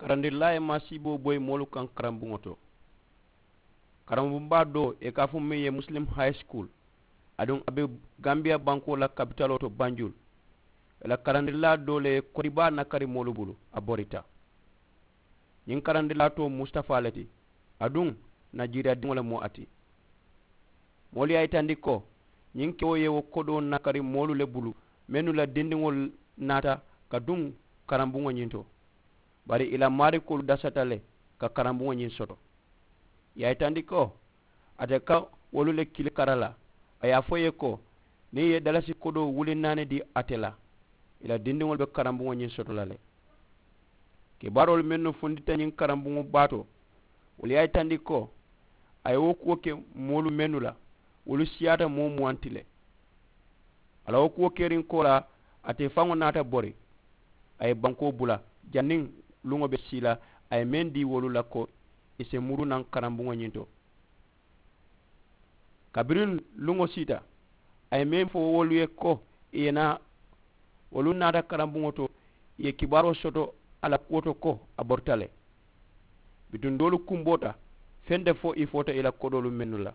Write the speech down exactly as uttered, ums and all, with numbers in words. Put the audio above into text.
Karandirilaa ye maasiiboo boyi moolu kaŋ karambuŋo to. Karambuŋ baa doo ì ka a fo meŋ ye muslim high school, aduŋ a be gambiya bankoo la kapitaloo to banjul. Ì la karandirilaa doo le ye kodi baa nakari moolu bulu a borita. Ñiŋ karandirilaa too mustafaa le ti, aduŋ najiriya diŋo le mu a ti. Moolu ye a yitandi ko ñiŋ kewo ye wo kodoo nakari moolu le bulu mennu la dindiŋolu naata ka duŋ karambuŋo ñiŋ to. Bari ì la maarikoolu dasata le ka karambuŋo ñiŋ soto. Ì ye a yitandi ko ate ka wolu le kili kara la. A ye a fo ì ye ko niŋ ì ye dalasi kodoo wuli naani dii ate la, ì la dindiŋolu be karambuŋo ñiŋ soto la le. Kibaaroolu mennu fundita ñiŋ karambuŋo baa to, wolu ye a yitandi ko a ye wo kuwo ke moolu mennu la, wolu siyaata moo muwaŋ ti le. A la wo kuwo keriŋ koolaa, ate faŋo naata bori. A ye bankoo bula janniŋ luŋo be sii la, a ye meŋ dii wolu la ko ì si muru naŋ karambuŋo ñiŋ to. Kabiriŋ luŋo siita, a ye meŋ fo wolu ye ko ì ye naa. Wolu naata karambuŋo to, ì ye kibaaroo soto a la kuwo to ko a borita le. Bituŋ doolu kumboota, feŋ te fo ì foota ì la kodoolu mennu la.